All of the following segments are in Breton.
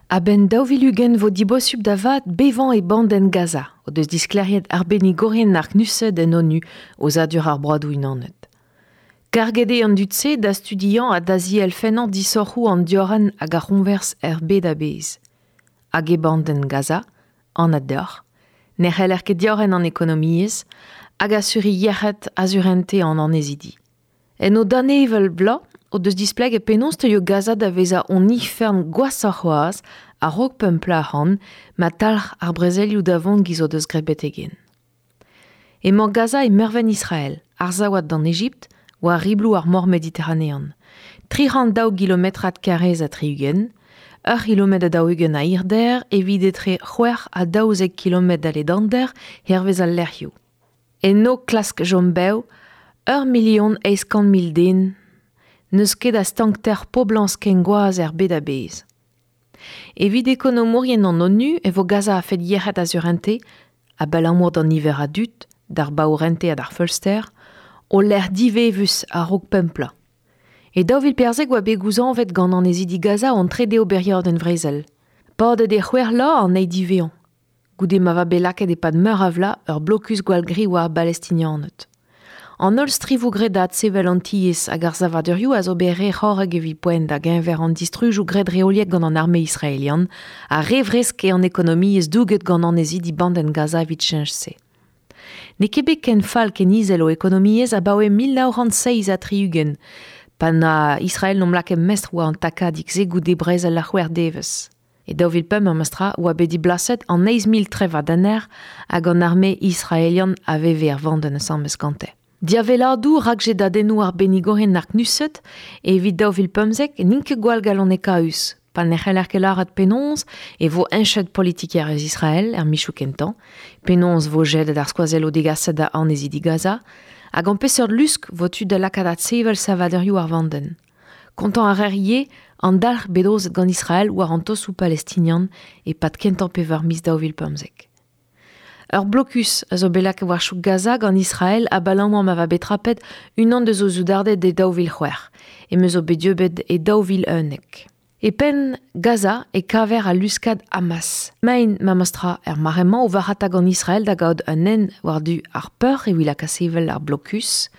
A-benn 2020 vo dibosupl da vat bevañ e bandenn Gaza, o deus disklêriet arbennigourien ar CNUSED en ONU, Aozadur ar Broadoù Unanet. Karget eo an dud-se da studiañ ha da zielfennañ disoc'hoù an diorren hag ar c'hoñvers er bed a-bezh. Hag e bandenn Gaza, anat deoc'h, ne c'heller ket diorren an ekonomiezh hag asuriñ yec'hed ha surentez an annezidi. En o danevell bloaz o deus displeget penaos teuio Gaza da vezañ hon ifern gwashoc'h c'hoazh a-raok pemp plat ac'hann ma talc'h ar brezelioù da vont giz o deus graet betek-hen. Emañ Gaza e mervent Israel, arsavat d'an Ejipt, war ribloù ar Mor Mediteranean. 302 gilometrad karrez ha 60, ur c'hilometr ha 40 a hirder evit etre 6 ha 12 kilometr a ledander hervez al lec'hioù. Eno klask chom bev ur milion 800 mil den. N'eus ket a stankter poblañs ken gwazh er bed a-bezh. Evit ekonomourien an ONU e vo Gaza a-fet yec'hed ha surentez, abalamour d'an niver a dud, d'ar baourentez ha d'ar feulster, o lec'h divevus a-raok pemp plat. E 2014 oa bet gouzañvet gant annezidi Gaza an trede oberiadenn vrezel. Padet eo c'hwec'h vloaz an eil diwezhañ. Goude ma va bet lakaet e-pad meur a vloaz ur blokus gwall-gri war ar Balestinianed. An holl strivoù graet da adsevel an tiez hag ar savadurioù a zo bet re c'horrek evit poent da-geñver an distrujoù graet reoliek gant an arme israelian ha re vresk eo an ekonomiezh douget gant annezidi bandenn Gaza evit cheñch-se. N'eo ket bet ken fall ken izel o ekonomiezh abaoe 1967, pa na Israel n'omp lakaet mestr war an takadig-se goude brezel ar c'hwec'h devezh. E 2005 memes tra oa bet diblaset an 8,000 trevadenner hag an arme israelian a veve er vandenn asambles gante. Diaveladoù rakjedadennoù arbennigourien ar CNUSED evit 2015 n'int ket gwall galonekaüs, pa ne c'heller ket lâret penaos e vo heñchet politikerezh Israel er mizoù kentañ, penaos vo jedet ar skoazelloù degaset da annezidi Gaza, ha gant peseurt lusk vo tu da lakaat adsevel savadurioù ar vandenn. Kontañ a reer ivez an dalc'h bet aozet gant Israel war an tosoù palestinian e-pad kentañ pevar miz 2015. Ur blokus a zo bet lakaet war chouk Gaza gant Israel abalamour ma va bet trapet unan deus o soudarded e 2006, em eus o bet dieubet e 2011. E penn Gaza e kaver al luskad Hamas. Maen memestra er mare-mañ o varc'hata gant Israel da gaout un hent war-du ar peur evit lakaat sevel ar blokus.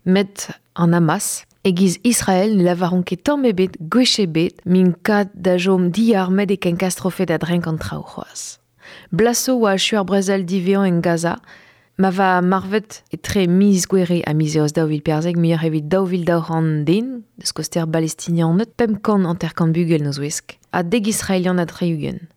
Met an Hamas, e-giz Israel ne lavaront ket tamm ebet gwech ebet m'int kat da chom diarmet e ken kastrofet a-drenk an traoù c'hoazh. Blaso oa achu ar brezel diwezhañ en Gaza, ma va marvet etre miz Gouere ha miz Eost 2014 muioc'h evit 2200 den, deus koster Balestinianed, 550 bugel en o zouesk, ha dek Israelian ha 60.